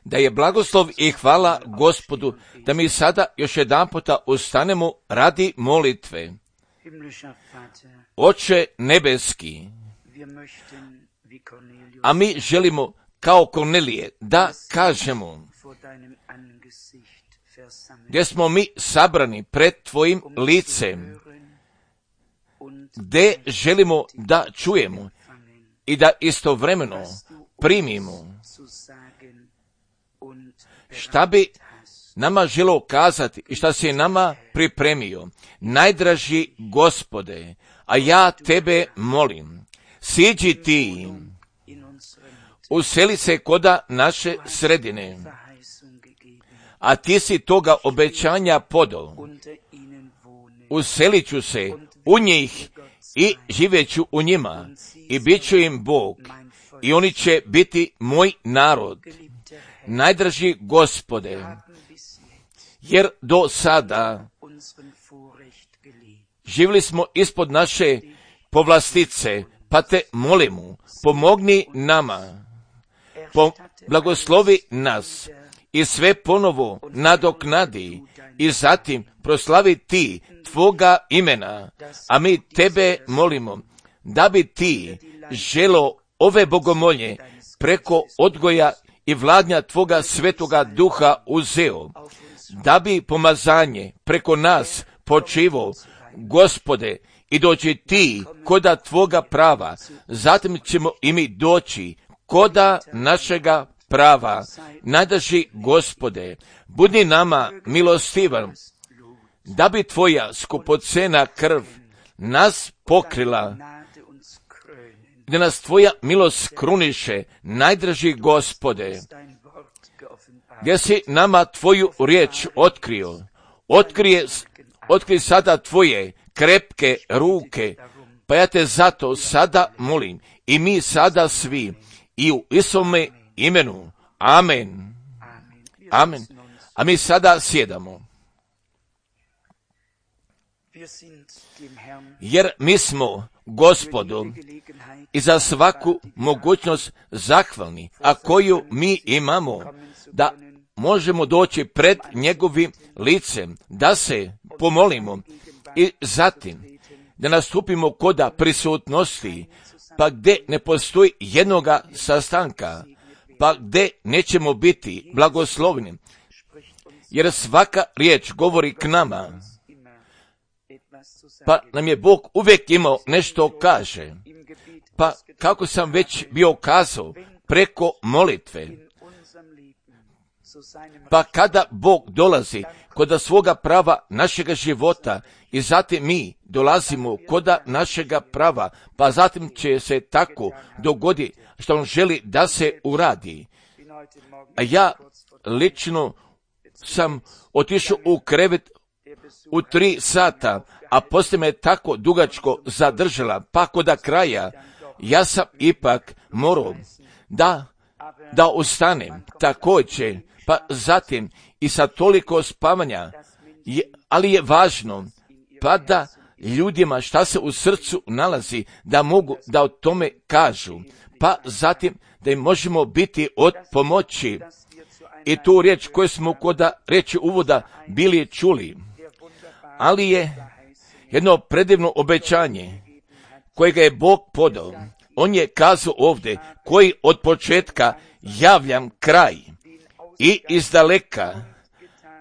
Da je blagoslov i hvala Gospodu, da mi sada još jedanputa ustanemo radi molitve. Oče nebeski, a mi želimo kao Kornelije da kažemo, gdje smo mi sabrani pred tvojim licem, gdje želimo da čujemo i da istovremeno primimo šta bi nama želio kazati i šta si nama pripremio. Najdraži Gospode, a ja tebe molim, siđi ti, useli se koda naše sredine, a ti si toga obećanja podao. Uselit ću se u njih i živjeću u njima i bit ću im Bog i oni će biti moj narod. Najdraži Gospode, jer do sada živjeli smo ispod naše povlastice, pa te molimo, pomogni nama, blagoslovi nas i sve ponovo nadoknadi i zatim proslavi ti tvoga imena, a mi tebe molimo da bi ti želo ove bogomolje preko odgoja i vladnja tvoga svetoga duha uzeo, da bi pomazanje preko nas počivo, Gospode, i dođi ti koda tvoga prava, zatim ćemo i mi doći koda našega prava. Najdraži Gospode, budi nama milostivan, da bi tvoja skupocena krv nas pokrila, da nas tvoja milost kruniše. Najdraži Gospode, gdje si nama tvoju riječ otkrio, otkrij sada tvoje krepke ruke, pa ja te zato sada molim i mi sada svi i u Isovome imenu. Amen. Amen. A mi sada sjedamo. Jer mi smo Gospodu i za svaku mogućnost zahvalni, a koju mi imamo, da možemo doći pred njegovim licem, da se pomolimo i zatim da nastupimo koda prisutnosti, pa gdje ne postoji jednoga sastanka, pa gdje nećemo biti blagoslovni, jer svaka riječ govori k nama, pa nam je Bog uvijek imao nešto kaže. Pa kako sam već bio kazao, preko molitve. Pa kada Bog dolazi koda svoga prava našega života i zatim mi dolazimo koda našega prava, pa zatim će se tako dogodi što on želi da se uradi. A ja lično sam otišao u krevet u 3 sata, a poslije me tako dugačko zadržala, pa koda kraja ja sam ipak morao da ustanem također, pa zatim i sa toliko spavanja, ali je važno pa da ljudima šta se u srcu nalazi, da mogu da o tome kažu, pa zatim da im možemo biti od pomoći. I tu riječ koju smo koda reći uvoda bili čuli, ali je jedno predivno obećanje kojega je Bog podao. On je kazao ovdje, koji od početka javljam kraj i izdaleka,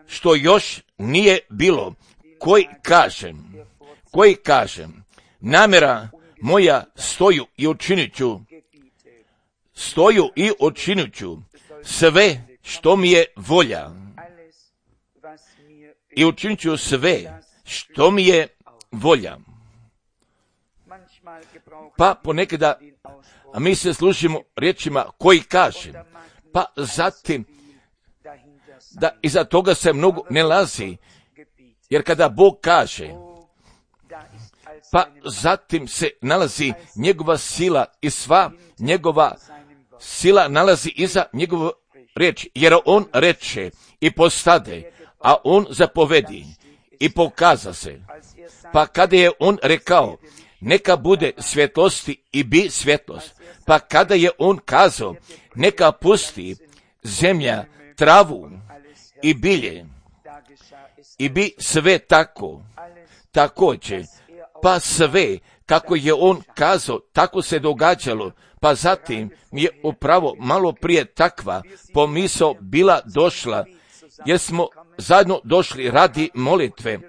što još nije bilo, koji kažem, namjera moja stoju i učinit ću sve što mi je volja i učinit ću sve što mi je volja. Pa ponekada mi se služimo riječima koji kaže, pa zatim da iza toga se mnogo ne lazi, jer kada Bog kaže, pa zatim se nalazi njegova sila i sva njegova sila nalazi iza njegove riječi, jer on reče i postade, a on zapovedi i pokaza se. Pa kada je on rekao, neka bude svjetlosti i bi svjetlost, pa kada je on kazao, neka pusti zemlja travu i bilje i bi sve tako, također, pa sve kako je on kazao, tako se događalo, pa zatim je upravo malo prije takva pomisao bila došla, jer smo zajedno došli radi molitve,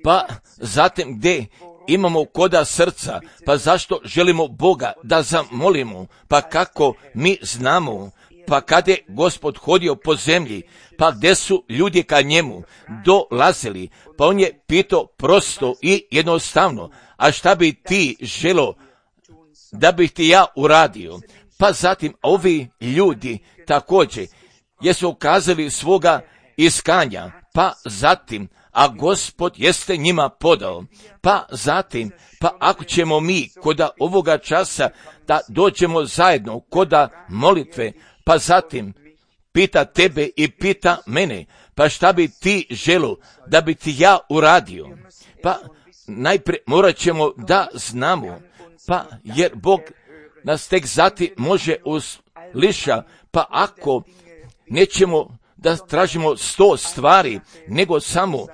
pa zatim gdje imamo koda srca, pa zašto želimo Boga da zamolimo, pa kako mi znamo, pa kad je Gospod hodio po zemlji, pa gdje su ljudi ka njemu dolazili, pa on je pitao prosto i jednostavno, a šta bi ti želo da bih ti ja uradio? Pa zatim ovi ljudi također jesu ukazali svoga iskanja, pa zatim, a Gospod jeste njima podao, pa zatim, pa ako ćemo mi koda ovoga časa da dođemo zajedno koda molitve, pa zatim pita tebe i pita mene, pa šta bi ti želo da bi ti ja uradio? Pa najprije morat ćemo da znamo, pa jer Bog nas tek zati može usliša, pa ako nećemo da tražimo 100 stvari, nego samo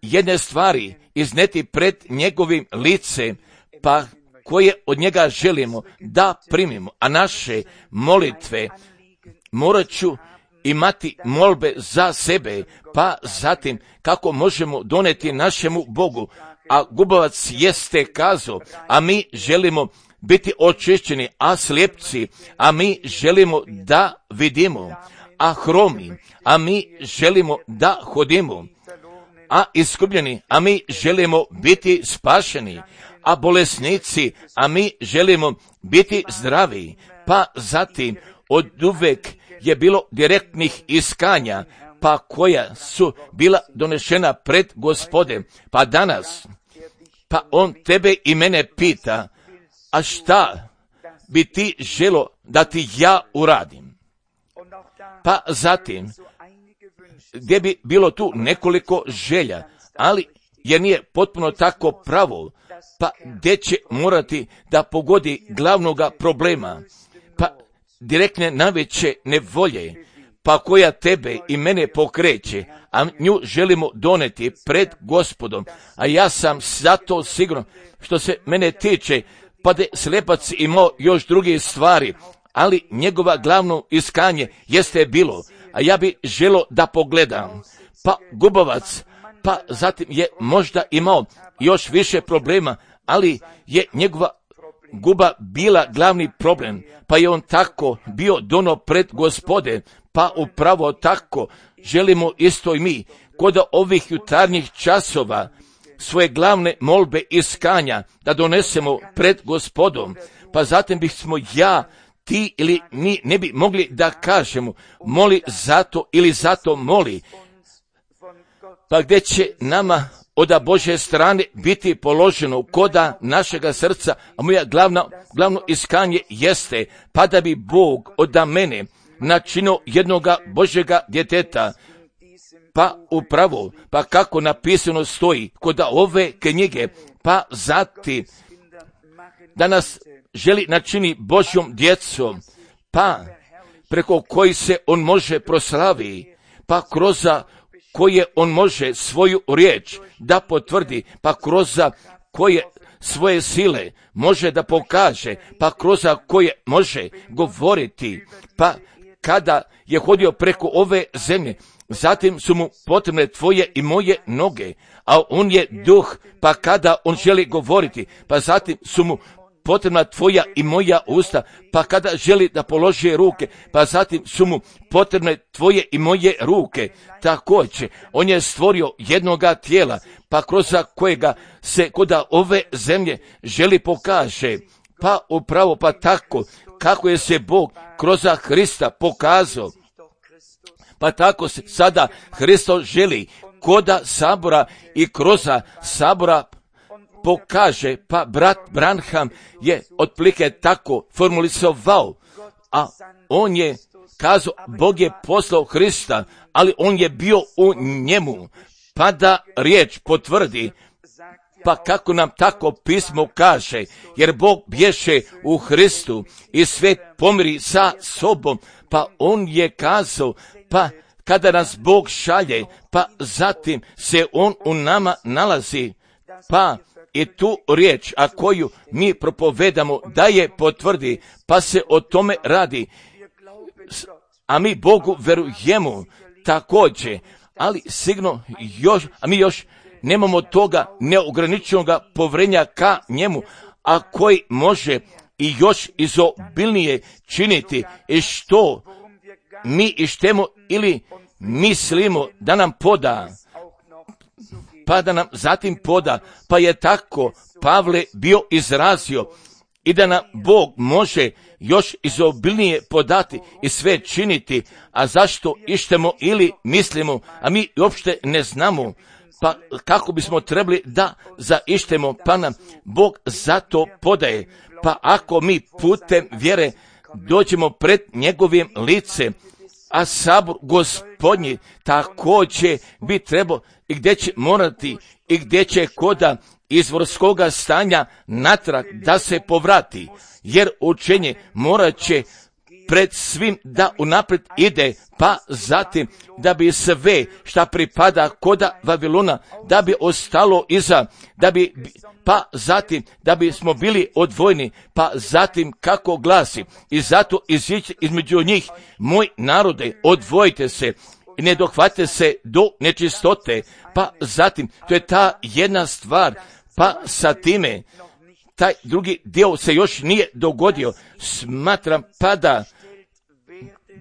jedne stvari izneti pred njegovim licem, pa koje od njega želimo da primimo, a naše molitve morat ću imati molbe za sebe, pa zatim kako možemo doneti našemu Bogu, a Gubovac jeste kazao, a mi želimo biti očišćeni, a slijepci, a mi želimo da vidimo, a hromi, a mi želimo da hodimo, a iskupljeni, a mi želimo biti spašeni, a bolesnici, a mi želimo biti zdravi, pa zatim od uvek je bilo direktnih iskanja, pa koja su bila donešena pred Gospodem, pa danas, pa on tebe i mene pita, a šta bi ti želo da ti ja uradim? Pa zatim, gdje bi bilo tu nekoliko želja, ali jer nije potpuno tako pravo, pa gdje će morati da pogodi glavnoga problema, pa direktne najveće nevolje, pa koja tebe i mene pokreće, a nju želimo doneti pred Gospodom, a ja sam zato siguran, što se mene tiče, pa da slijepac imao još druge stvari, ali njegova glavno iskanje jeste bilo, a ja bi želo da pogledam, pa Gubovac, pa zatim je možda imao još više problema, ali je njegova guba bila glavni problem, pa je on tako bio dono pred Gospode, pa upravo tako želimo isto i mi, kod ovih jutarnjih časova, svoje glavne molbe iskanja da donesemo pred Gospodom, pa zatim bismo ja, ti ili mi ne bi mogli da kažemo moli zato ili zato moli, pa gdje će nama od Božje strane biti položeno koda našega srca, a moja glavno iskanje jeste, pa da bi Bog od mene načinio jednoga Božjega djeteta, pa upravo, pa kako napisano stoji kod ove knjige, pa zatim da nas želi načini Božjom djecom, pa preko koji se on može proslavi, pa kroz koje on može svoju riječ da potvrdi, pa kroz koje svoje sile može da pokaže, pa kroz koje može govoriti, pa kada je hodio preko ove zemlje, zatim su mu potrebne tvoje i moje noge, a on je duh, pa kada on želi govoriti, pa zatim su mu potrebna tvoja i moja usta, pa kada želi da položi ruke, pa zatim su mu potrebne tvoje i moje ruke. Također, on je stvorio jednoga tijela, pa kroz kojega se kod ove zemlje želi pokaže, pa upravo pa tako, kako je se Bog kroz Hrista pokazao, pa tako se sada Hristos želi koda sabora i kroz sabora pokaže, pa brat Branham je otprilike tako formulisovao, a on je kazao, Bog je poslao Hrista, ali on je bio u njemu, pa da riječ potvrdi, pa kako nam tako pismo kaže, jer Bog bješe u Hristu i svijet pomiri sa sobom, pa on je kazao, pa kada nas Bog šalje, pa zatim se on u nama nalazi, pa i tu riječ, a koju mi propovedamo, da je potvrdi, pa se o tome radi, a mi Bogu verujemo također, ali sigurno mi još nemamo toga neograničenog povjerenja ka njemu, a koji može i još izobilnije činiti i što mi ištemo ili mislimo da nam poda, pa da nam zatim poda, pa je tako Pavle bio izrazio i da nam Bog može još izobilnije podati i sve činiti, a zašto ištemo ili mislimo, a mi uopšte ne znamo, pa kako bismo trebali da zaištemo, pa nam Bog zato podaje, pa ako mi putem vjere dođemo pred njegovim licem, a sabor Gospodnji također bi trebao i gdje će morati i gdje će koda izvorskoga stanja natrag da se povrati, jer učenje morat će pred svim da unaprijed ide, pa zatim da bi sve šta pripada koda Vavilona, da bi ostalo iza, pa zatim da bismo bili odvojeni, pa zatim kako glasi, i zato izići između njih, moj narode, odvojite se i ne dohvate se do nečistote, pa zatim, to je ta jedna stvar, pa sa time, taj drugi dio se još nije dogodio, smatram pa da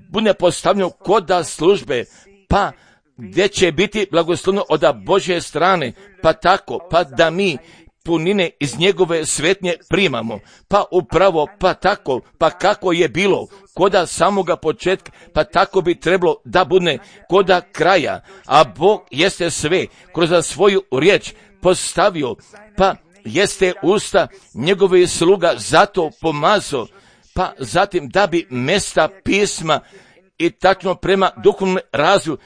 bude postavljeno koda službe, pa gdje će biti blagoslovno od Božje strane, pa tako, pa da mi punine iz njegove svetnje primamo, pa upravo, pa tako, pa kako je bilo koda samoga početka, pa tako bi trebalo da bude koda kraja, a Bog jeste sve kroz svoju riječ postavio, pa jeste usta njegove sluga zato pomazao, pa zatim da bi mesta pisma i tačno prema duhovnom razvoju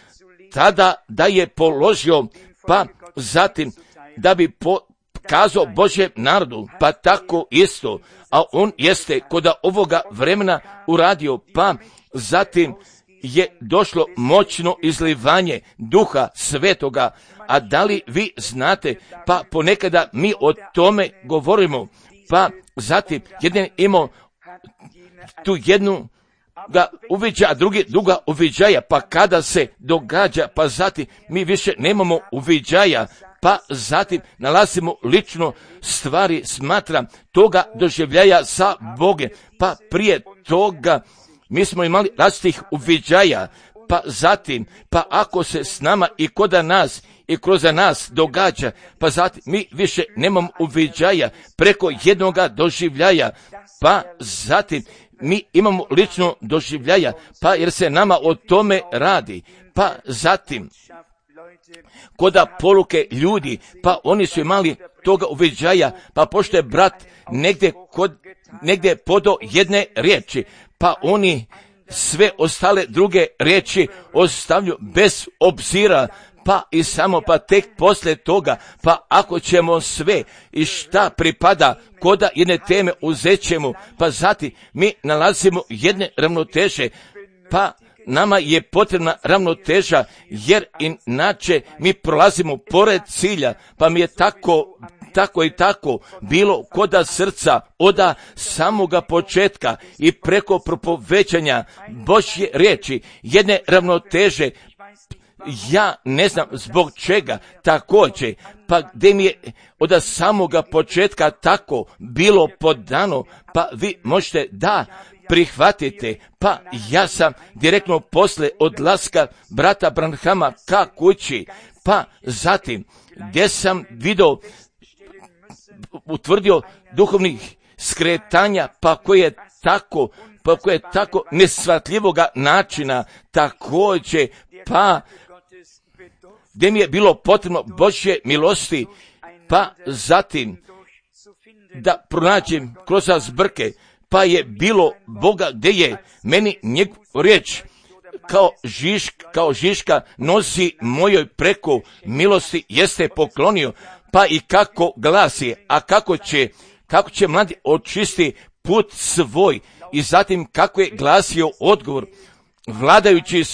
tada da je položio, pa zatim da bi kazao Božjem narodu, pa tako isto, a on jeste kod ovoga vremena uradio, pa zatim je došlo moćno izlivanje Duha Svetoga, a da li vi znate, pa ponekada mi o tome govorimo, pa zatim jedan imao tu jednu ga uviđa, a druga uviđaja, pa kada se događa, pa zatim mi više nemamo uviđaja, pa zatim nalazimo lično stvari, smatram, toga doživljaja sa Bogom, pa prije toga mi smo imali različitih uviđaja, pa zatim, pa ako se s nama i koda nas i kroz nas događa, pa zatim mi više nemamo uviđaja preko jednoga doživljaja, pa zatim mi imamo lično doživljaja, pa jer se nama o tome radi, pa zatim koda poruke ljudi, pa oni su imali toga uviđaja, pa pošto je brat negdje podo jedne riječi, pa oni sve ostale druge riječi ostavljaju bez obzira, pa i samo pa tek poslije toga, pa ako ćemo sve i šta pripada koda jedne teme uzet ćemo, pa zatim mi nalazimo jedne ravnoteže, pa nama je potrebna ravnoteža, jer inače mi prolazimo pored cilja, pa mi je tako i tako bilo koda srca oda samoga početka i preko propovećanja Božje riječi, jedne ravnoteže. Ja ne znam zbog čega također, pa gdje mi je od samoga početka tako bilo podano, pa vi možete da prihvatite, pa ja sam direktno posle odlaska brata Branhama ka kući, pa zatim gdje sam utvrdio duhovnih skretanja, pa koje je tako nesvatljivoga načina također, pa gdje mi je bilo potrebno Božje milosti, pa zatim da pronađem kroz zbrke, pa je bilo Boga gdje je meni njegov riječ kao žiška nosi mojoj preko milosti jeste poklonio, pa i kako glasi, a kako će mladi očisti put svoj, i zatim kako je glasio odgovor, vladajući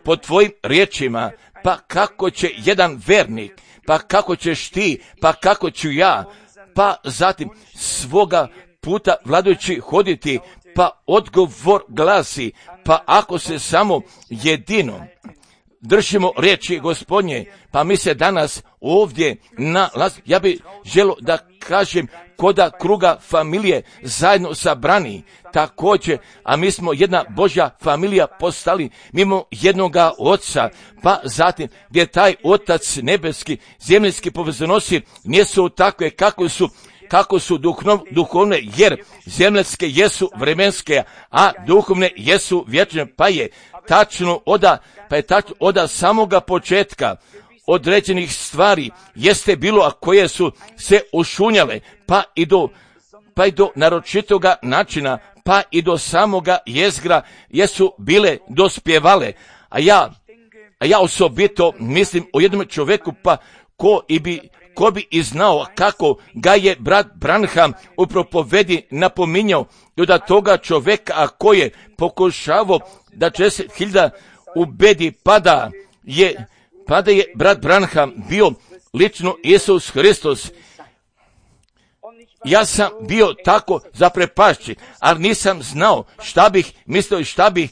po tvojim riječima, pa kako će jedan vernik, pa kako ćeš ti, pa kako ću ja, pa zatim svoga puta vladajući hoditi, pa odgovor glasi, pa ako se samo jedino držimo riječi Gospodnje, pa mi se danas ovdje ja bih želio da kažem koda kruga familije zajedno sabrani također, a mi smo jedna Božja familija postali mimo jednoga Oca, pa zatim gdje taj Otac nebeski, zemaljski povezonosi nisu takve kako su duhovne, jer zemaljske jesu vremenske, a duhovne jesu vječne, pa je tačno od samoga početka određenih stvari jeste bilo, a koje su se ušunjale, pa i do naročitoga načina, pa i do samoga jezgra jesu bile dospjevale. A ja osobito mislim o jednom čovjeku, pa ko bi i znao kako ga je brat Branham u propovedi napominjao, i da toga čovjeka, a ko je pokušavao da 10.000 ubedi, pa da je brat Branham bio lično Isus Hristos. Ja sam bio tako zaprepašćen, ali nisam znao šta bih mislio i šta bih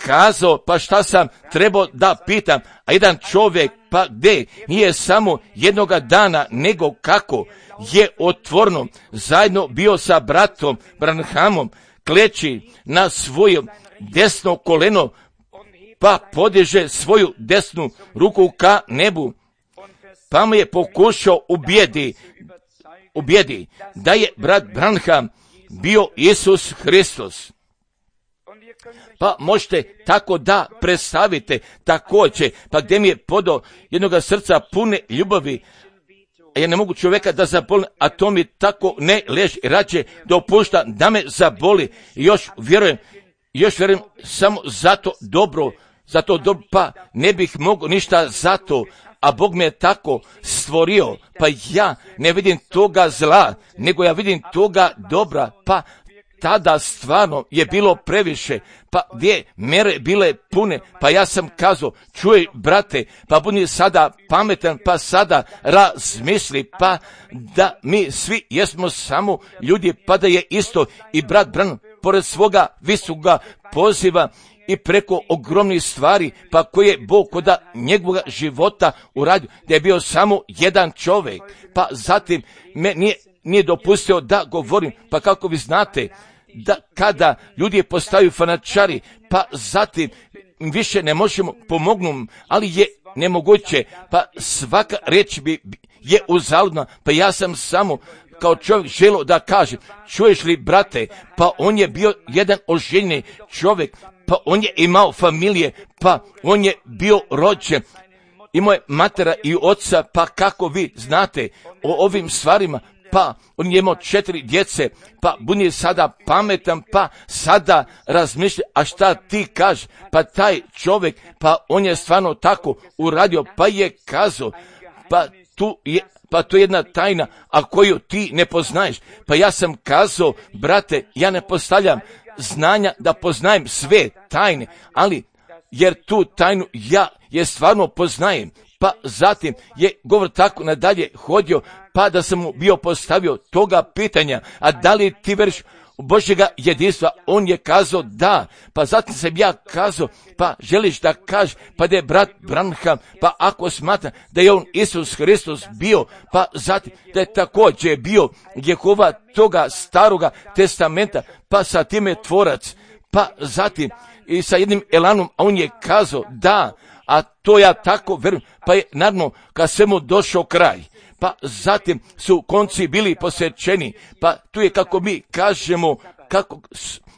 kazao, pa šta sam trebao da pitam. A jedan čovjek, pa gdje nije samo jednoga dana, nego kako je otvorno zajedno bio sa bratom Branhamom, kleči na svoje desno koleno, pa podiže svoju desnu ruku ka nebu, pa mu je pokušao ubijedi da je brat Branham bio Isus Hristos. Pa možete tako da predstavite također, pa gdje mi je podao jednoga srca pune ljubavi, a ja ne mogu čovjeka da zaboli, a to mi tako ne leži, rađe dopušta da me zaboli, i još vjerujem samo zato dobro, pa ne bih mogao ništa zato, a Bog me je tako stvorio, pa ja ne vidim toga zla, nego ja vidim toga dobra, pa tada stvarno je bilo previše, pa gdje mere bile pune, pa ja sam kazao, čuj brate, pa budi sada pametan, pa sada razmisli, pa da mi svi jesmo samo ljudi, pa da je isto i brat Branham pored svoga visokoga poziva i preko ogromnih stvari, pa koje je Bog koda njegovog života uradio, da je bio samo jedan čovjek, pa zatim me nije dopustio da govorim, pa kako vi znate, da kada ljudi postaju fanatičari, pa zatim više ne možemo pomognuti, ali je nemoguće, pa svaka riječ je uzaludna, pa ja sam samo kao čovjek želio da kažem, čuješ li brate, pa on je bio jedan oženjeni čovjek, pa on je imao familije, pa on je bio rođen, imao je matera i oca, pa kako vi znate o ovim stvarima, pa on je imao 4 djece, pa budi sada pametan, pa sada razmišlja, a šta ti kažeš, pa taj čovjek, pa on je stvarno tako uradio, pa je kazao, pa to je jedna tajna, a koju ti ne poznaješ. Pa ja sam kazao, brate, ja ne postavljam znanja da poznajem sve tajne, ali jer tu tajnu ja je stvarno poznajem. Pa zatim je govor tako nadalje hodio, pa da sam mu bio postavio toga pitanja, a da li ti veriš u Božjega jedinstva? On je kazao da, pa zatim sam ja kazao, pa želiš da kažeš, pa da je brat Branham, pa ako smatra da je on Isus Hristos bio, pa zatim da je također bio Jehova toga staroga testamenta, pa sa time tvorac, pa zatim i sa jednim elanom, a on je kazao da, a to ja tako verujem, pa je naravno kad svemu došao kraj, pa zatim su konci bili posvećeni, pa tu je kako mi kažemo, kako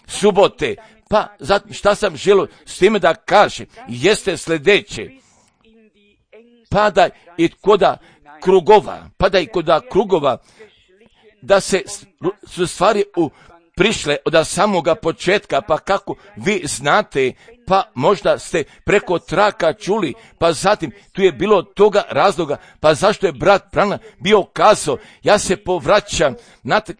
subote, pa zatim šta sam želio s time da kažem, jeste sljedeće, pada i koda krugova, da se su stvari u prišle od samoga početka, pa kako vi znate, pa možda ste preko traka čuli, pa zatim tu je bilo toga razloga, pa zašto je brat Branham bio kazao, ja se povraćam,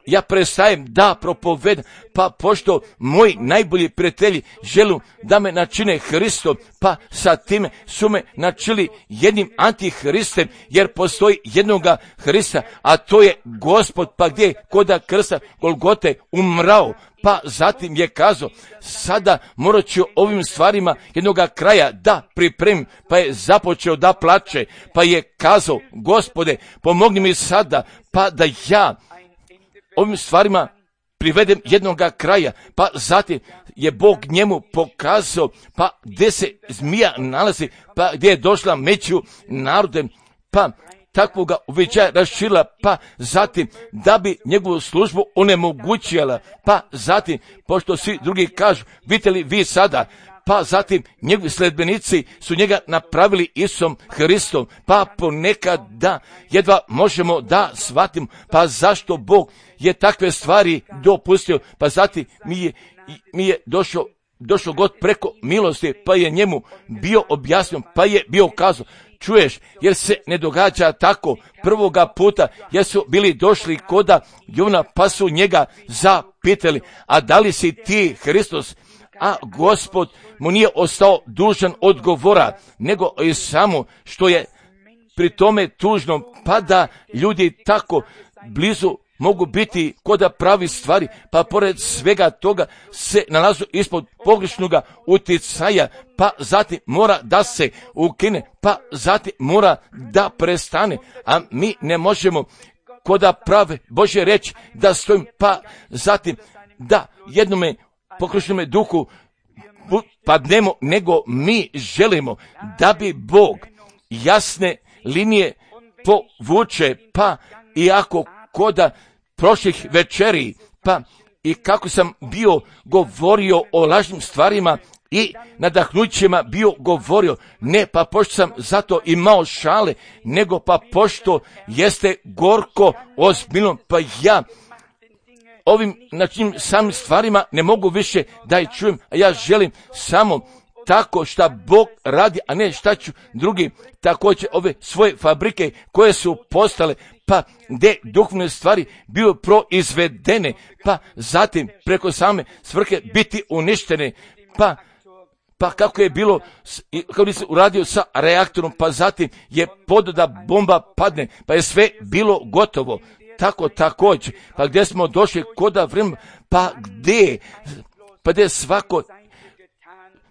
ja prestajem da propovedam, pa pošto moji najbolji prijatelji žele da me načine Hristom, pa sa time su me načili jednim antihristem, jer postoji jednoga Hrista, a to je Gospod, pa gdje je koda krsta Golgote umrao, pa zatim je kazao, sada morat ću ovim stvarima jednoga kraja da pripremim, pa je započeo da plače, pa je kazao, Gospode, pomogni mi sada, pa da ja ovim stvarima privedem jednoga kraja, pa zatim je Bog njemu pokazao, pa gdje se zmija nalazi, pa gdje je došla među narodem, pa takvoga uviđaja raširila, pa zatim da bi njegovu službu onemogućila, pa zatim, pošto svi drugi kažu, vidite li vi sada, pa zatim njegovi sledbenici su njega napravili Isusom Hristom, pa ponekad da jedva možemo da shvatimo, pa zašto Bog je takve stvari dopustio, pa zatim mi je došao God preko milosti, pa je njemu bio objasnio, pa je bio kazao, čuješ, jer se ne događa tako prvoga puta, jer su bili došli koda Jovana, pa su njega zapitali, a da li si ti Hristos? A Gospod mu nije ostao dužan odgovora, nego i samo što je pri tome tužno, pa da ljudi tako blizu mogu biti koda pravi stvari, pa pored svega toga se nalazu ispod pogrešnoga uticaja, pa zatim mora da se ukine, pa zatim mora da prestane, a mi ne možemo koda prave Božje reći da stojim, pa zatim da jednome pokrešnome duhu padnemo, nego mi želimo da bi Bog jasne linije povuče, pa iako koda prošlih večeri, pa i kako sam bio govorio o lažnim stvarima i nadahnućima bio govorio, ne pa pošto sam zato imao šale, nego pa pošto jeste gorko ozbiljno, pa ja ovim način samim stvarima ne mogu više da ih čujem, a ja želim samo tako šta Bog radi, a ne šta ću drugi također ove svoje fabrike koje su postale, pa gdje duhovne stvari bio proizvedene, pa zatim preko same svrhe biti uništene, pa kako je bilo, kako bi se uradio sa reaktorom, pa zatim je da bomba padne, pa je sve bilo gotovo. Tako također, pa gdje smo došli koda vremena, pa gdje svako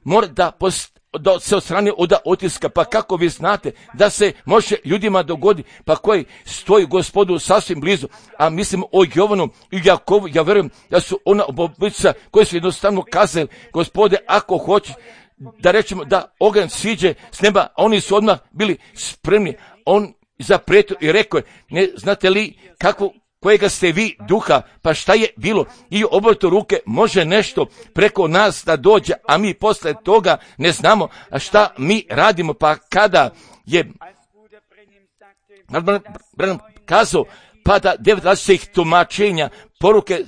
mora da se odstrani od otiska, pa kako vi znate da se može ljudima dogodi, pa koji stoji Gospodu sasvim blizu, a mislim o Jovanu i Jakovu, ja vjerujem da su ona obojica koji su jednostavno kazali, Gospode, ako hoćeš da rečemo da oganj siđe s neba, a oni su odmah bili spremni, on zaprijetio i rekao je, ne znate li kojega ste vi duha, pa šta je bilo, i obrto ruke može nešto preko nas da dođe, a mi posle toga ne znamo, a šta mi radimo, pa kada je Branham kazao, pa da 9 različitih tumačenja, poruke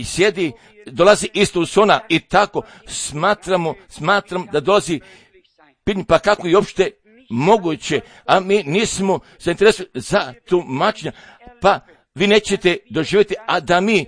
sjedi, dolazi isto uz ona i tako smatram da dolazi, pa kako je uopšte moguće, a mi nismo zainteresovani za tumačenja, pa vi nećete doživjeti, a da mi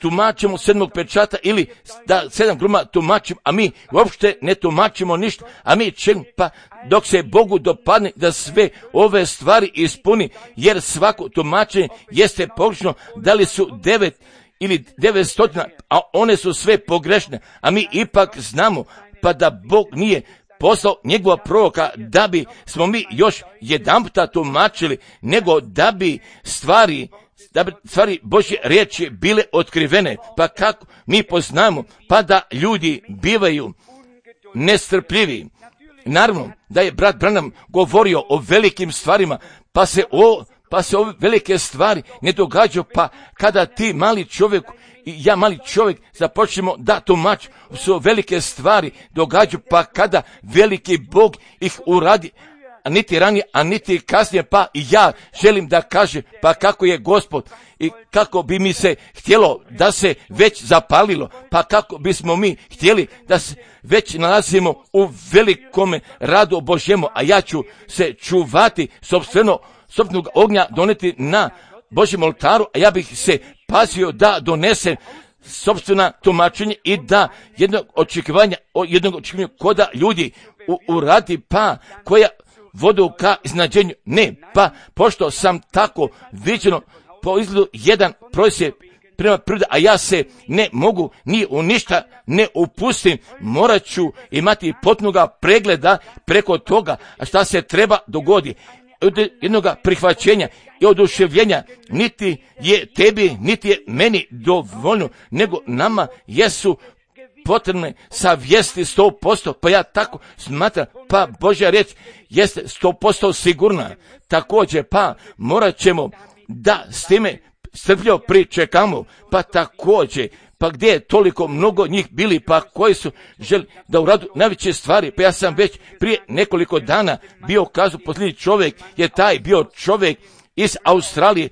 tumačimo 7. pečata ili da 7 gruma tumačimo, a mi uopšte ne tumačimo ništa, a mi čekamo, pa dok se Bogu dopadne da sve ove stvari ispuni, jer svako tumačenje jeste pogrešno, da li su 9 ili 900, a one su sve pogrešne, a mi ipak znamo, pa da Bog nije poslao njegova proroka da bi smo mi još jedanputa tumačili, nego da bi stvari Božje riječi bile otkrivene, pa kako mi poznamo, pa da ljudi bivaju nestrpljivi. Naravno da je brat Branham govorio o velikim stvarima, pa se ove velike stvari ne događaju, pa kada ti mali čovjek i ja mali čovjek započnemo da tumač su velike stvari događaju, pa kada veliki Bog ih uradi, niti ranije, a niti kasnije, pa i ja želim da kažem, pa kako je Gospod i kako bi mi se htjelo da se već zapalilo, pa kako bismo mi htjeli da se već nalazimo u velikome radu Božjemu, a ja ću se čuvati sopstvenog ognja doneti na Božjem oltaru, a ja bih se pazio da donesem sopstvena tumačenja i da jednog očekivanja koda ljudi uradi, pa koja vodu ka iznađenju. Ne, pa pošto sam tako viđeno po izgledu jedan prosje prema prirodi, a ja se ne mogu ni u ništa ne upustim, morat ću imati potpunoga pregleda preko toga, a šta se treba dogodi. Od jednog prihvaćenja i oduševljenja niti je tebi, niti je meni dovoljno, nego nama jesu potrebne savjesti 100%, pa ja tako smatram, pa Božja riječ jeste 100% sigurna. Također, pa morat ćemo da s time strpljivo pričekamo, pa također, pa gdje je toliko mnogo njih bili, pa koji su želi da uradu najveće stvari, pa ja sam već prije nekoliko dana bio kazao, posljednji čovjek je taj bio čovjek iz Australije,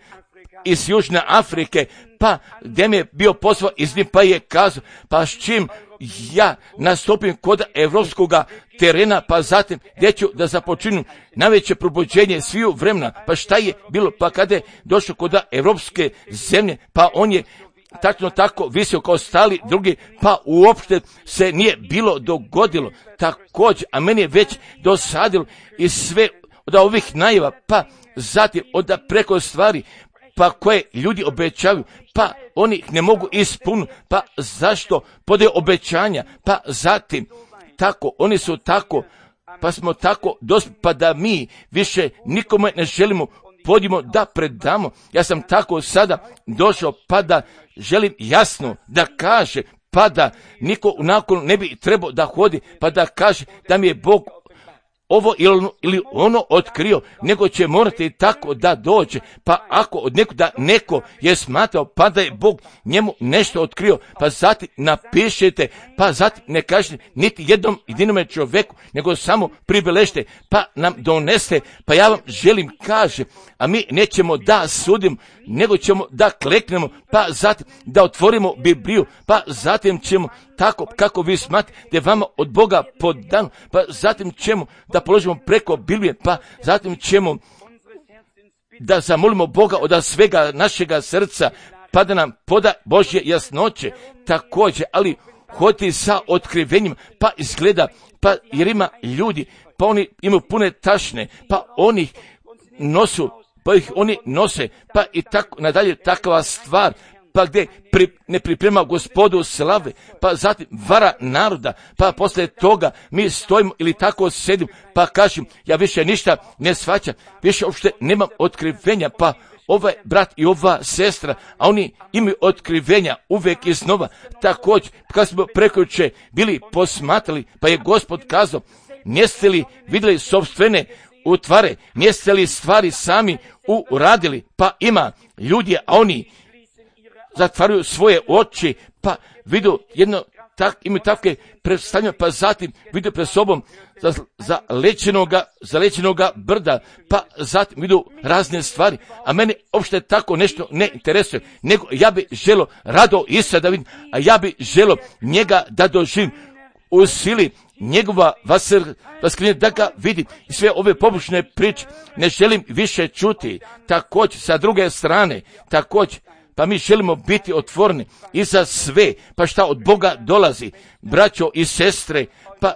iz Južne Afrike, pa gdje mi je bio posao iz njih, pa je kazao, pa s čim ja nastupim kod evropskog terena, pa zatim gdje ću da započinu najveće probuđenje sviju vremena, pa šta je bilo, pa kada je došao kod evropske zemlje, pa on je tačno tako visio kao stali drugi, pa uopšte se nije bilo dogodilo također, a meni je već dosadilo i sve od ovih najava, pa zatim od preko stvari, pa koje ljudi obećavaju, pa oni ih ne mogu ispuniti, pa zašto podaju obećanja, pa zatim tako, oni su tako, pa smo tako dospjeli, pa da mi više nikome ne želimo podimo da predamo. Ja sam tako sada došao, pa da želim jasno da kaže, pa da niko nakon ne bi trebao da hodi, pa da kaže da mi je Bog ovo ili ono otkrio, nego će morati tako da dođe, pa ako od da neko je smatrao, pa da je Bog njemu nešto otkrio, pa zatim napišete, pa zatim ne kažete niti jednom jedinome čovjeku, nego samo pribeležite, pa nam doneste, pa ja vam želim kaže, a mi nećemo da sudimo, nego ćemo da kleknemo, pa zatim da otvorimo Bibliju, pa zatim ćemo tako kako vi smatrate da je vama od Boga podano, pa zatim ćemo da položimo preko Biblije, pa zatim ćemo da zamolimo Boga od svega našega srca, pa da nam poda Božje jasnoće također, ali hoditi sa otkrivenjima, pa izgleda, pa jer ima ljudi, pa oni imaju pune tašne, pa oni nosu, pa ih oni nose, pa i tako nadalje takva stvar, pa gdje ne priprema Gospodu slave, pa zatim vara naroda, pa poslije toga mi stojimo ili tako sedim, pa kažem, ja više ništa ne shvaćam, više uopšte nemam otkrivenja, pa ovaj brat i ova sestra, a oni imaju otkrivenja uvijek iznova. Također, kad smo prekjuče bili posmatrali, pa je Gospod kazao, niste li vidjeli sopstvene utvare, niste li stvari sami uradili, pa ima ljudi, a oni zatvaraju svoje oči, pa vidu jedno, imaju takve predstavljanja, pa zatim vidu pred sobom za lečenoga brda, pa zatim vidu razne stvari, a mene uopšte tako nešto ne interesuje, nego ja bi želo rado Isusa da vidim, a ja bi želo njega da doživim u sili njegova vaskrenja da ga vidim i sve ove pobočne priče ne želim više čuti. Također sa druge strane, također pa mi želimo biti otvoreni i za sve, pa šta od Boga dolazi, braćo i sestre, pa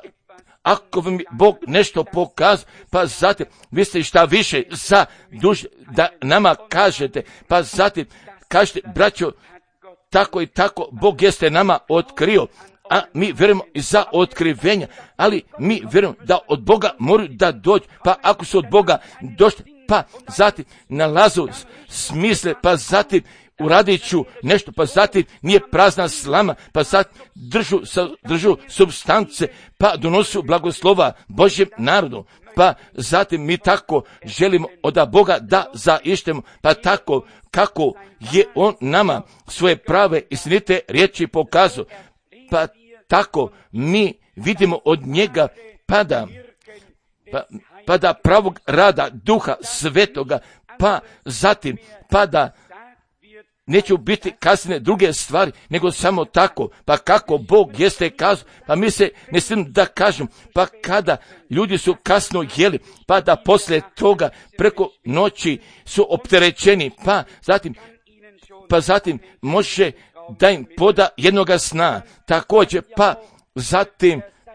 ako vam Bog nešto pokazuje, pa zatim vi ste šta više za duže da nama kažete, pa zatim kažete, braćo, tako i tako Bog jeste nama otkrio, a mi vjerujemo i za otkrivenja, ali mi vjerujemo da od Boga moraju da dođu, pa ako su od Boga došli, pa zatim nalazu smisle, pa zatim uradit ću nešto, pa zatim nije prazna slama, pa zatim držu substance, pa donosu blagoslova Božjem narodu, pa zatim mi tako želimo od Boga da zaištemo, pa tako kako je On nama svoje prave istinite riječi pokazao, pa tako mi vidimo od njega pada. Pa pa da pravog rada Duha Svetoga, pa zatim, pa da neću biti kasne druge stvari, nego samo tako, pa kako Bog jeste kazao, pa mi se ne smijem da kažem, pa kada ljudi su kasno jeli, pa da poslije toga preko noći su opterećeni, pa zatim može da im poda jednoga sna, također,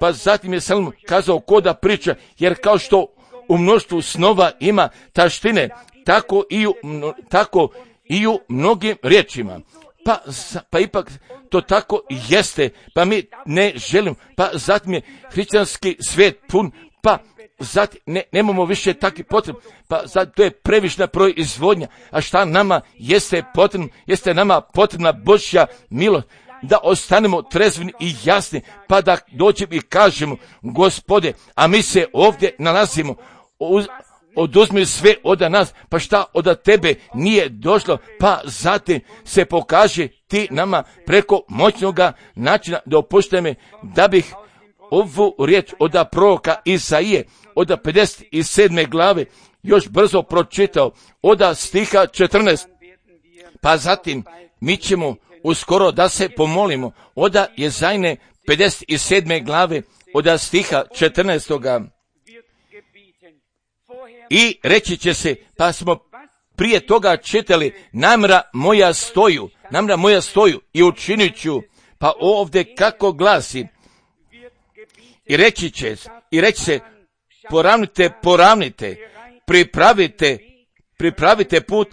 pa zatim je Salomon kazao ko da priča, jer kao što u mnoštvu snova ima taštine, tako i u mnogim riječima. Pa ipak to tako jeste, pa mi ne želimo, pa zatim je hrišćanski svijet pun, pa zatim nemamo više takvih potreba, pa zatim to je previšna proizvodnja, a šta nama jeste potrebno, jeste nama potrebna Božja milost, da ostanemo trezveni i jasni, pa da dođemo i kažemo, Gospode, a mi se ovdje nalazimo, oduzmi sve od nas, pa šta od tebe nije došlo, pa zatim se pokaže ti nama preko moćnoga načina. Dopuštaj me da bih ovu riječ od proroka Isaije, od 57. glave, još brzo pročitao, od stiha 14, pa zatim mi ćemo uskoro da se pomolimo, od Jezajne 57. glave, od stiha 14. I reći će se, pa smo prije toga čitali, namjera moja stoju i učinit ću, pa ovdje kako glasi, i reći se, poravnite, pripravite put,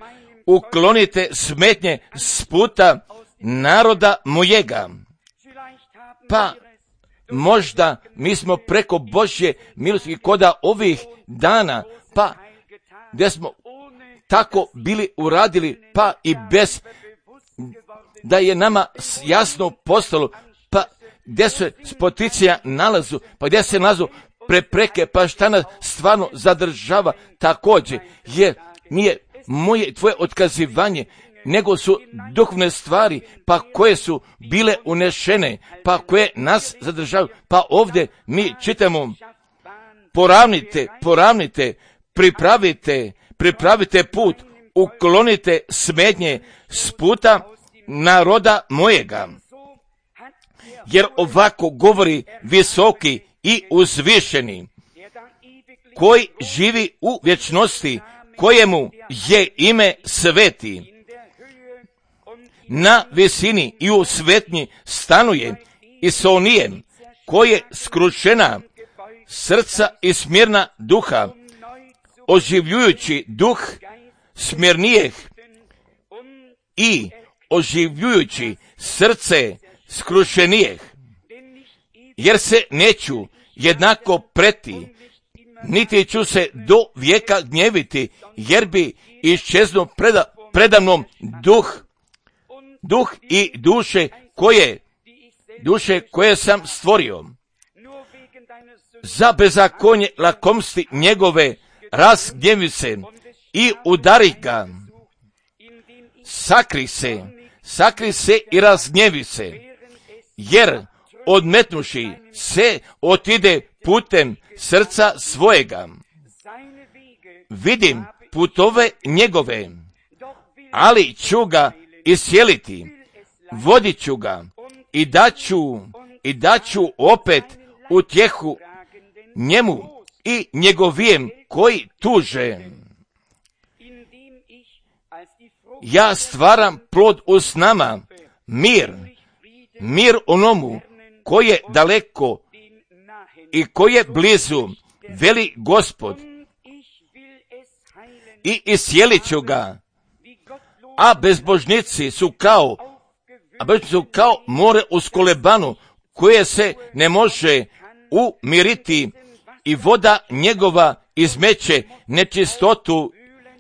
uklonite smetnje s puta naroda mojega. Pa možda mi smo preko Božje milosti koda ovih dana, pa gdje smo tako bili uradili, pa i bez da je nama jasno postalo, pa gdje se spoticija nalazu, pa gdje se nalazu prepreke, pa šta nas stvarno zadržava također, jer nije moje tvoje otkazivanje, nego su duhovne stvari, pa koje su bile unešene, pa koje nas zadržavaju. Pa ovdje mi čitamo, poravnite, pripravite put, uklonite smetnje s puta naroda mojega. Jer ovako govori visoki i uzvišeni, koji živi u vječnosti, kojemu je ime sveti. Na visini i u svetnji stanuje i s onijem, koje skrušena srca i smirna duha, oživljujući duh smirnijeh i oživljujući srce skrušenijeh, jer se neću jednako preti, niti ću se do vijeka gnjeviti, jer bi iščeznuo predamnom duh i duše koje sam stvorio. Za bezakonje lakomsti njegove razgnjevi se i udari ga. Sakri se i razgnjevi se, jer odmetnuši se otide putem srca svojega. Vidim putove njegove, ali ću ga isjeliti, vodit ću ga i daću opet utjehu njemu i njegovijem koji tuže. Ja stvaram plod u snama, mir onomu koji je daleko i koji je blizu, veli Gospod, i isjelit ću ga, a bezbožnici su kao more uz kolebanu, koje se ne može umiriti, i voda njegova izmeće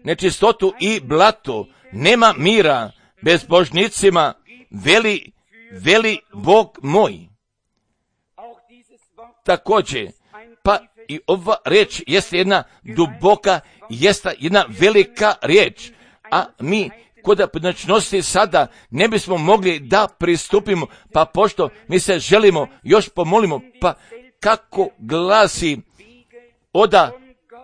nečistotu i blato. Nema mira bezbožnicima, veli Bog moj. Također, pa i ova riječ jeste jedna duboka, jeste jedna velika riječ, a mi kod pojedinačnosti sada ne bismo mogli da pristupimo, pa pošto mi se želimo još pomolimo, pa kako glasi od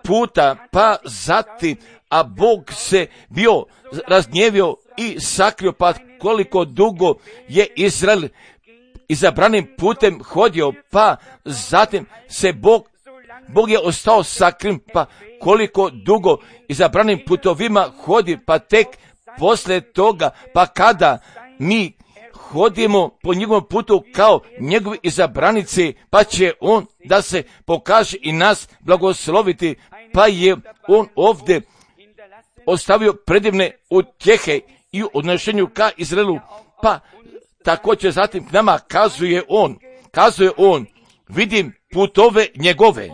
puta, pa zatim, a Bog se bio razgnjevio i sakrio, pa koliko dugo je Izrael izabranim putem hodio, pa zatim se Bog je ostao sakrim, pa koliko dugo izabranim putovima hodi, pa tek poslije toga, pa kada mi hodimo po njegovom putu kao njegovi izabranici, pa će on da se pokaže i nas blagosloviti, pa je on ovdje ostavio predivne utjehe i u odnošenju ka Izraelu, pa također zatim k nama kazuje on, vidim putove njegove,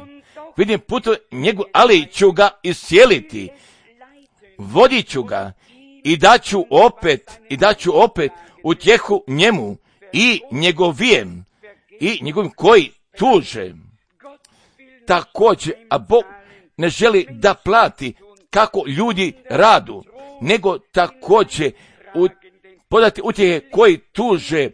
ali ću ga iscijeliti, vodit ću ga i daću opet utjehu njemu i njegovim koji tuže. Također, a Bog ne želi da plati kako ljudi radu, nego također podati utjehe koji tuže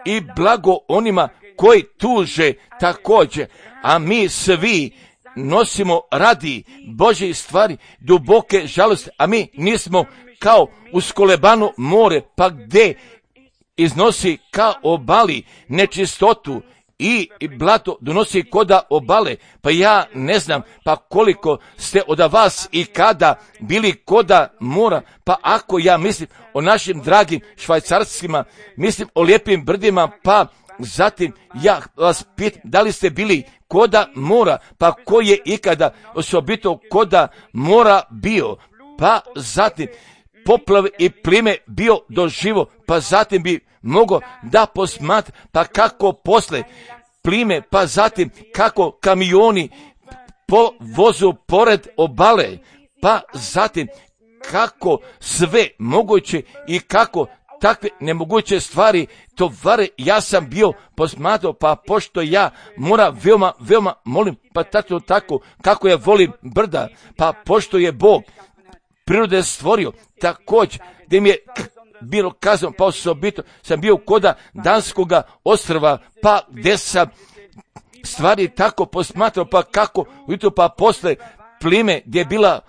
i blago onima koji tuže također, a mi svi nosimo radi Božje stvari duboke žalosti, a mi nismo kao uskolebano more, pa gdje iznosi ka obali nečistotu i blato donosi koda obale, pa ja ne znam pa koliko ste od vas i kada bili koda mora, pa ako ja mislim o našim dragim Švajcarskima, mislim o lijepim brdima, pa zatim ja vas pitam da li ste bili koda mora, pa ko je ikada osobito koda mora bio, pa zatim poplave i plime bio doživo, pa zatim bi mogao da posmatra, pa kako posle plime, pa zatim kako kamioni po vozu pored obale, pa zatim kako sve moguće i kako takve nemoguće stvari tovare, ja sam bio posmatrao, pa pošto ja veoma molim, pa tako kako ja volim brda, pa pošto je Bog prirode stvorio, također gdje mi je bilo kazano, pa osobito sam bio koda Danskoga ostrva, pa gdje sam stvari tako posmatrao, pa kako ujutro, pa posle plime gdje je bila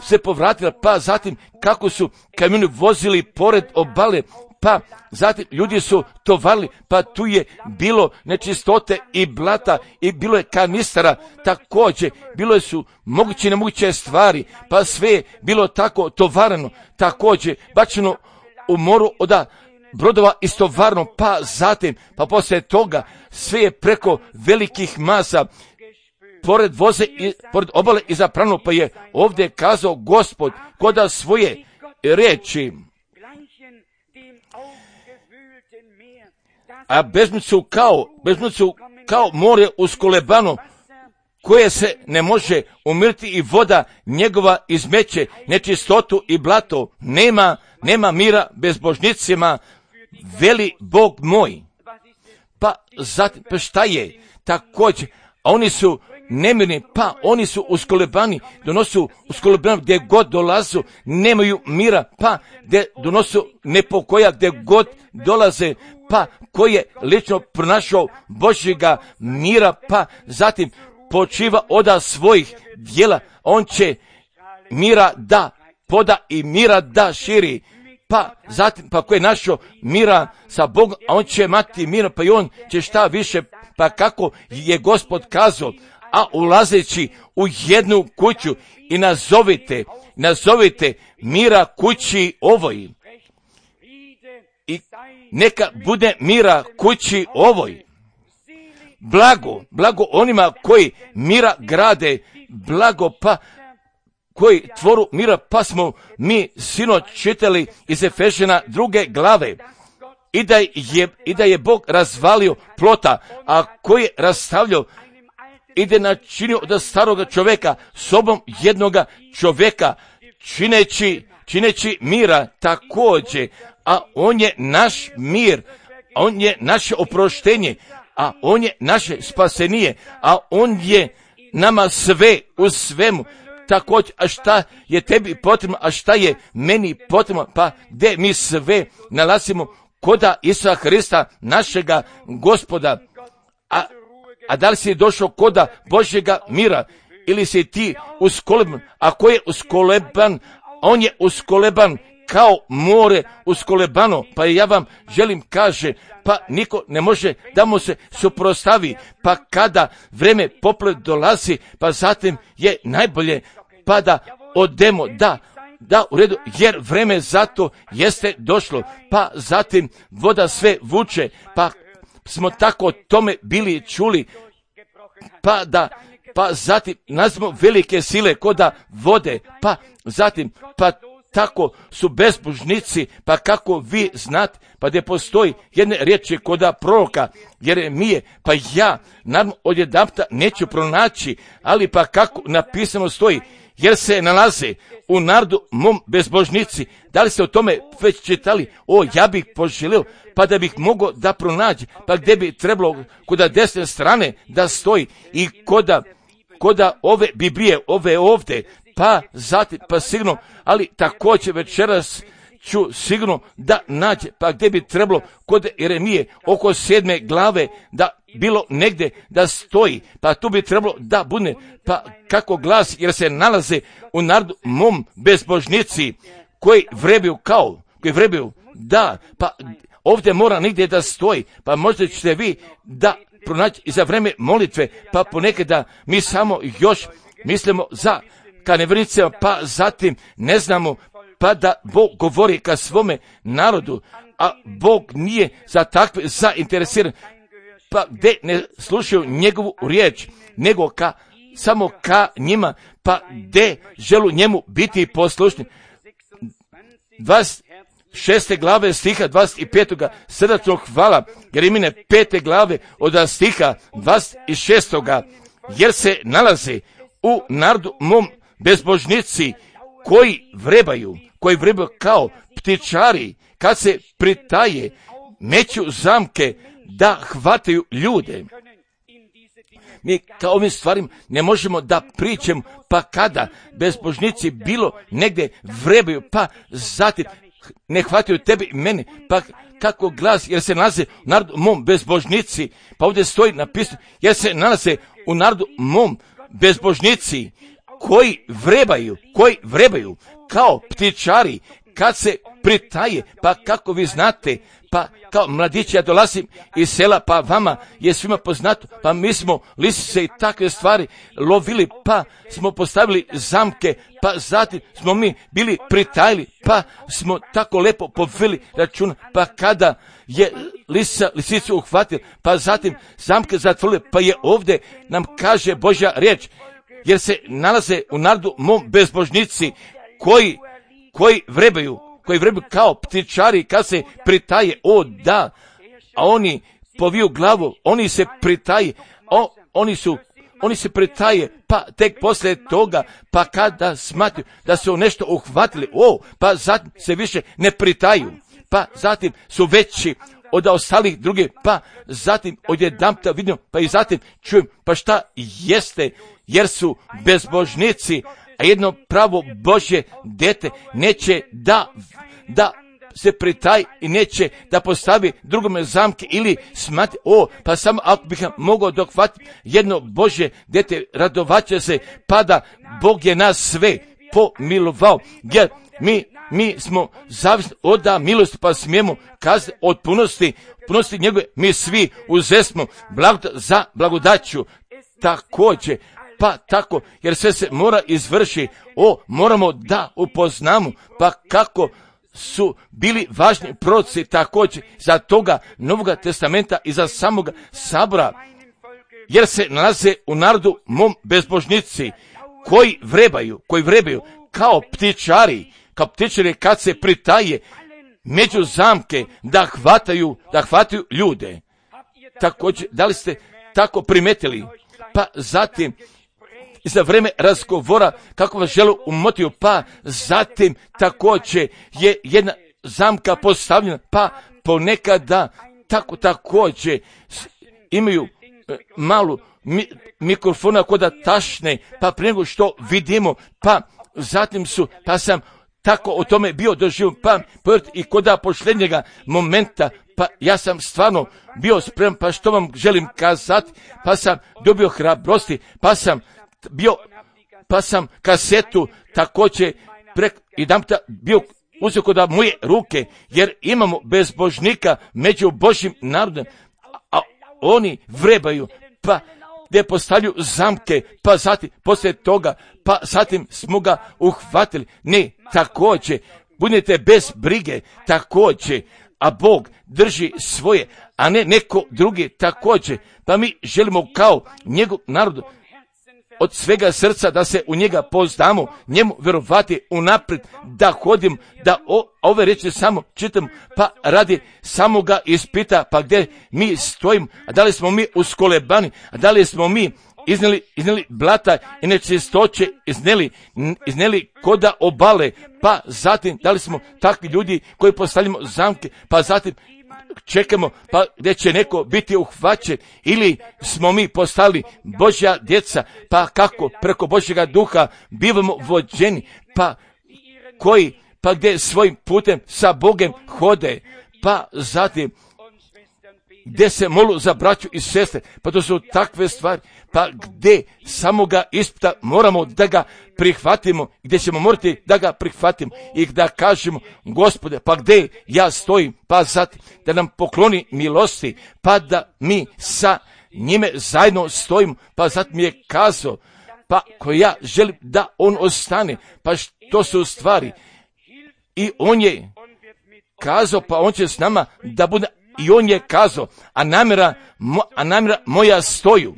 se povratila, pa zatim kako su kamioni vozili pored obale, pa zatim ljudi su tovarili, pa tu je bilo nečistote i blata i bilo je kanistara, također bilo su moguće i nemoguće stvari, pa sve je bilo tako tovareno, također bačeno u moru od brodova istovarno, pa zatim, pa poslije toga sve je preko velikih masa pored voze i pored obale i zaprano, pa je ovdje kazao Gospod koda svoje riječi, a bezmnicu kao more uskolebano, koje se ne može umiriti i voda njegova izmeće nečistotu i blato, nema mira bezbožnicima, veli Bog moj. Pa zatim, pa šta je također, a oni su nemirni, pa oni su uskolebani, donosu uskolebani gdje god dolazu, nemaju mira, pa gdje donosu nepokoja gdje god dolaze, pa koji je lično pronašao Božjega mira, pa zatim počiva od svojih djela, on će mira da poda i mira da širi, pa zatim, pa koji je našao mira sa Bogom, a on će imati mira, pa i on će šta više, pa kako je Gospod kazao, a ulazeći u jednu kuću i nazovite mira kući ovoj, i neka bude mira kući ovoj. Blago onima koji mira grade, blago pa koji tvoru mira, pa smo mi sinoć čitali iz Efežana 2. glave, i da je Bog razvalio plota, a koji je rastavljao i da je načinio od staroga čovjeka sobom jednoga čovjeka, čineći mira također, a on je naš mir, a on je naše oproštenje, a on je naše spasenije, a on je nama sve u svemu. Također, a šta je tebi potrebno, a šta je meni potrebno, pa gdje mi sve nalazimo koda Isusa Hrista, našega Gospoda. A da li si došao koda Božjega mira? ili si ti uskoleban. Ako je uskoleban, on je uskoleban kao more uskolebano. Pa ja vam želim kaže, pa niko ne može da mu se suprotstavi. Pa kada vreme poplave dolazi, pa zatim je najbolje pa da odemo, da u redu, jer vreme zato jeste došlo. Pa zatim voda sve vuče, pa smo tako tome bili čuli, pa zatim nazvimo velike sile koda vode, pa zatim, pa tako su bezbožnici, pa kako vi znate, pa gdje postoji jedne riječi koda proroka Jeremije, pa ja naravno odjedanputa neću pronaći, ali pa kako napisano stoji, jer se nalaze u narodu mom bezbožnici. Da li ste o tome već čitali? Ja bih poželio, pa da bih mogao da pronaći, pa gdje bi trebalo koda desne strane da stoji i koda ove Biblije, ove ovdje, pa zatim, pa sigurno, ali također večeras ću sigurno da nađe, pa gdje bi trebalo kod Jeremije oko 7. glave da bilo negdje da stoji, pa tu bi trebalo da bude, pa kako glasi, jer se nalaze u narodu mom bezbožnici koji vrebuju, da, pa ovdje mora nigdje da stoji, pa možda ćete vi da pronaći i za vreme molitve, pa ponekad da mi samo još mislimo za ka nevjernicima, pa zatim ne znamo, pa da Bog govori ka svome narodu, a Bog nije za takve zainteresiran, pa gdje ne slušaju njegovu riječ, nego samo ka njima, pa gdje želu njemu biti poslušni. 26. glave stiha 25. srdačno hvala, Jeremine 5. glave od stiha 26. jer se nalaze u narodu mom bezbožnici koji vrebaju kao ptičari, kad se pritaje, meću zamke da hvataju ljude. Mi kao ovim stvarima ne možemo da pričamo, pa kada bezbožnici bilo negdje vrebaju, pa zatim ne hvataju tebi i mene, pa kako glas, jer se nalaze u narodu mom bezbožnici, pa ovdje stoji napisano, jer se nalaze u narodu mom bezbožnici koji vrebaju kao ptičari, kad se pritaje, pa kako vi znate, pa kao mladići ja dolazim iz sela, pa vama je svima poznato, pa mi smo lisice i takve stvari lovili, pa smo postavili zamke, pa zatim smo mi bili pritajili, pa smo tako lepo poveli računa, pa kada je lisicu uhvatili, pa zatim zamke zatvorili, pa je ovdje nam kaže Božja riječ, jer se nalaze u narodu mom bezbožnici koji vrebaju kao ptičari kad se pritaje, da, a oni poviju glavu, oni se pritaje, oni se pritaje, pa tek poslije toga, pa kada smatruju da su nešto uhvatili, pa zatim se više ne pritaju, pa zatim su veći od ostalih drugih, pa zatim odjedanputa vidim, pa i zatim čujem, pa šta jeste, jer su bezbožnici, a jedno pravo Božje dete neće da se pritaj i neće da postavi drugome zamke ili smati, pa samo ako bih mogao dohvatiti jedno Božje dete, radovaće se, pa da Bog je nas sve pomilovao, jer mi smo zavisni od milosti, pa smijemo kazati od punosti njegove, mi svi uzesmo za blagodaću također, pa tako, jer sve se mora izvrši, moramo da upoznamo, pa kako su bili važni proroci također za toga Novoga testamenta i za samoga sabora, jer se nalaze u narodu mom bezbožnici koji vrebaju kao ptičari kad se pritaje među zamke da hvataju ljude. Također, da li ste tako primetili? Pa zatim za vreme razgovora kako vas žele umotiti, pa zatim također je jedna zamka postavljena, pa ponekada također imaju malu mikrofona koda tašne, pa prije nego što vidimo, pa zatim pa sam tako o tome bio doživio, pa i koda posljednjega momenta, pa ja sam stvarno bio spreman, pa što vam želim kazati, pa sam dobio hrabrosti, pa sam bio pa sam kasetu također jedanputa bio uzeo kod moje ruke, jer imamo bezbožnika među Božjim narodom, a oni vrebaju, pa gdje postavljaju zamke, pa zatim poslije toga, pa zatim smo ga uhvatili. Ne, također, budete bez brige, također, a Bog drži svoje, a ne neko drugi također. Pa mi želimo kao njegov narod od svega srca da se u njega poznamo, njemu vjerovati unaprijed, da hodim, da ove reči samo čitam, pa radi samoga ispita, pa gdje mi stojimo, a da li smo mi uskolebani, a da li smo mi iznijeli blata i nečistoće, iznijeli koda obale, pa zatim da li smo takvi ljudi koji postavljamo zamke, pa zatim čekamo pa gdje će neko biti uhvaćen, ili smo mi postali Božja djeca, pa kako preko Božjega duha bivamo vođeni, pa koji pa gdje svojim putem sa Bogom hode, pa zatim gdje se molu za braću i sestre, pa to su takve stvari, pa gdje samoga ispita moramo da ga prihvatimo, gdje ćemo morati da ga prihvatimo i da kažemo, Gospode, pa gdje ja stojim, pa zatim da nam pokloni milosti, pa da mi sa njime zajedno stojimo, pa zatim mi je kazao, pa ko ja želim da on ostane, pa što su stvari, i on je kazao, pa on će s nama da bude. I on je kazao, a namjera moja stoju.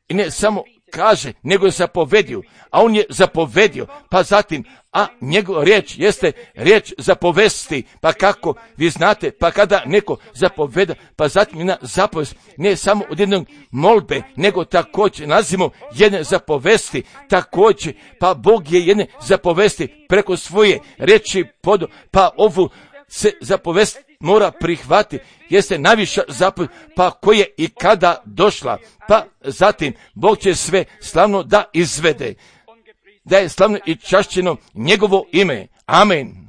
I ne samo kaže, nego je zapovedio. A on je zapovedio, pa zatim, a njegova riječ jeste riječ zapovesti. Pa kako vi znate, pa kada neko zapoveda, pa zatim jedna zapovest, ne samo od jednog molbe, nego također nalazimo jedne zapovesti, također, pa Bog je jedne zapovesti preko svoje riječi podo, pa ovu se zapovest mora prihvatiti, jeste najviša zapovest, pa koja je i kada došla, pa zatim Bog će sve slavno da izvede, da je slavno i čašćeno njegovo ime. Amen.